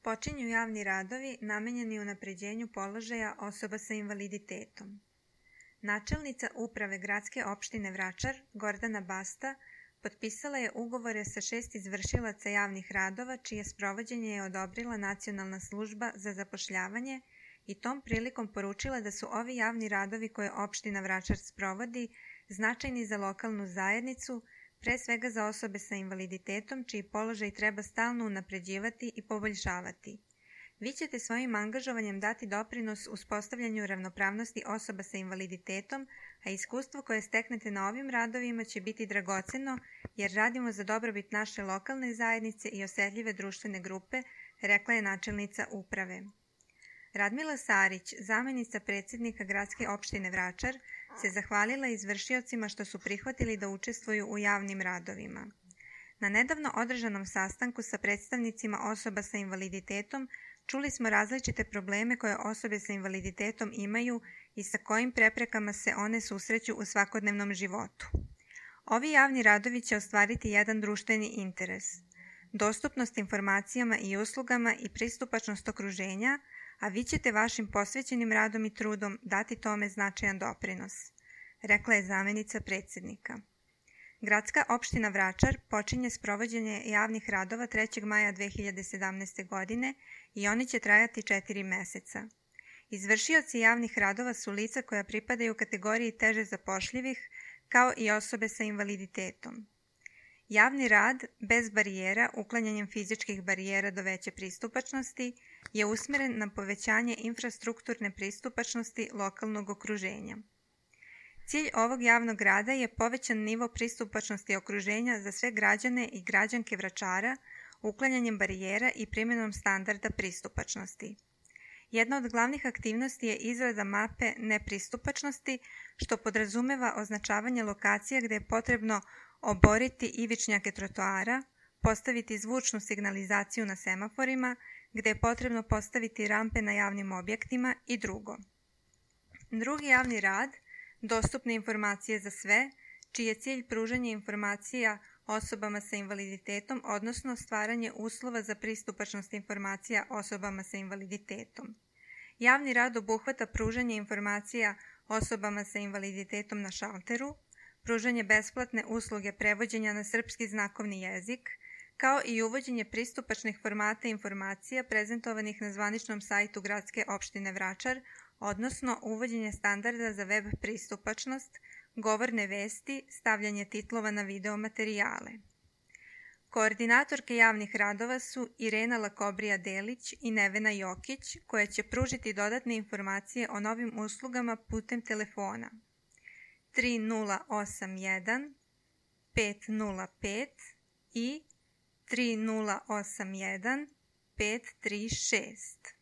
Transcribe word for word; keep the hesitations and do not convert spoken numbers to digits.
Počinju javni radovi namenjeni unapređenju položaja osoba sa invaliditetom. Načelnica Uprave Gradske opštine Vračar, Gordana Basta, potpisala je ugovore sa šest izvršilaca javnih radova čije sprovođenje je odobrila Nacionalna služba za zapošljavanje i tom prilikom poručila da su ovi javni radovi koje opština Vračar sprovodi značajni za lokalnu zajednicu, pre svega za osobe sa invaliditetom čiji položaj treba stalno unapređivati i poboljšavati. Vi ćete svojim angažovanjem dati doprinos uspostavljanju ravnopravnosti osoba sa invaliditetom, a iskustvo koje steknete na ovim radovima će biti dragoceno jer radimo za dobrobit naše lokalne zajednice i osetljive društvene grupe, rekla je načelnica uprave. Radmila Sarić, zamenica predsjednika Gradske opštine Vračar, se zahvalila izvršiocima što su prihvatili da učestvuju u javnim radovima. Na nedavno održanom sastanku sa predstavnicima osoba sa invaliditetom čuli smo različite probleme koje osobe sa invaliditetom imaju i sa kojim preprekama se one susreću u svakodnevnom životu. Ovi javni radovi će ostvariti jedan društveni interes, dostupnost informacijama i uslugama i pristupačnost okruženja, a vi ćete vašim posvećenim radom i trudom dati tome značajan doprinos, rekla je zamenica predsjednika. Gradska opština Vračar počinje sprovođenje javnih radova trećeg maja dve hiljade sedamnaeste. godine i oni će trajati četiri meseca. Izvršioci javnih radova su lica koja pripadaju kategoriji teže zapošljivih, kao i osobe sa invaliditetom. Javni rad, bez barijera, uklanjanjem fizičkih barijera do veće pristupačnosti, je usmeren na povećanje infrastrukturne pristupačnosti lokalnog okruženja. Cilj ovog javnog rada je povećan nivo pristupačnosti okruženja za sve građane i građanke Vračara, uklanjanjem barijera i primjenom standarda pristupačnosti. Jedna od glavnih aktivnosti je izrada mape nepristupačnosti, što podrazumeva označavanje lokacija gde je potrebno oboriti ivičnjake trotoara, postaviti zvučnu signalizaciju na semaforima, gde je potrebno postaviti rampe na javnim objektima i drugo. Drugi javni rad, dostupne informacije za sve, čiji je cilj pružanje informacija osobama sa invaliditetom, odnosno stvaranje uslova za pristupačnost informacija osobama sa invaliditetom. Javni rad obuhvata pružanje informacija osobama sa invaliditetom na šalteru, pružanje besplatne usluge prevođenja na srpski znakovni jezik, kao i uvođenje pristupačnih formata informacija prezentovanih na zvaničnom sajtu Gradske opštine Vračar, odnosno uvođenje standarda za web pristupačnost, govorne vesti, stavljanje titlova na video materijale. Koordinatorke javnih radova su Irena Lakobrija-Delić i Nevena Jokić, koje će pružiti dodatne informacije o novim uslugama putem telefona tri nula osam jedan pet nula pet i tri nula osam jedan pet tri šest.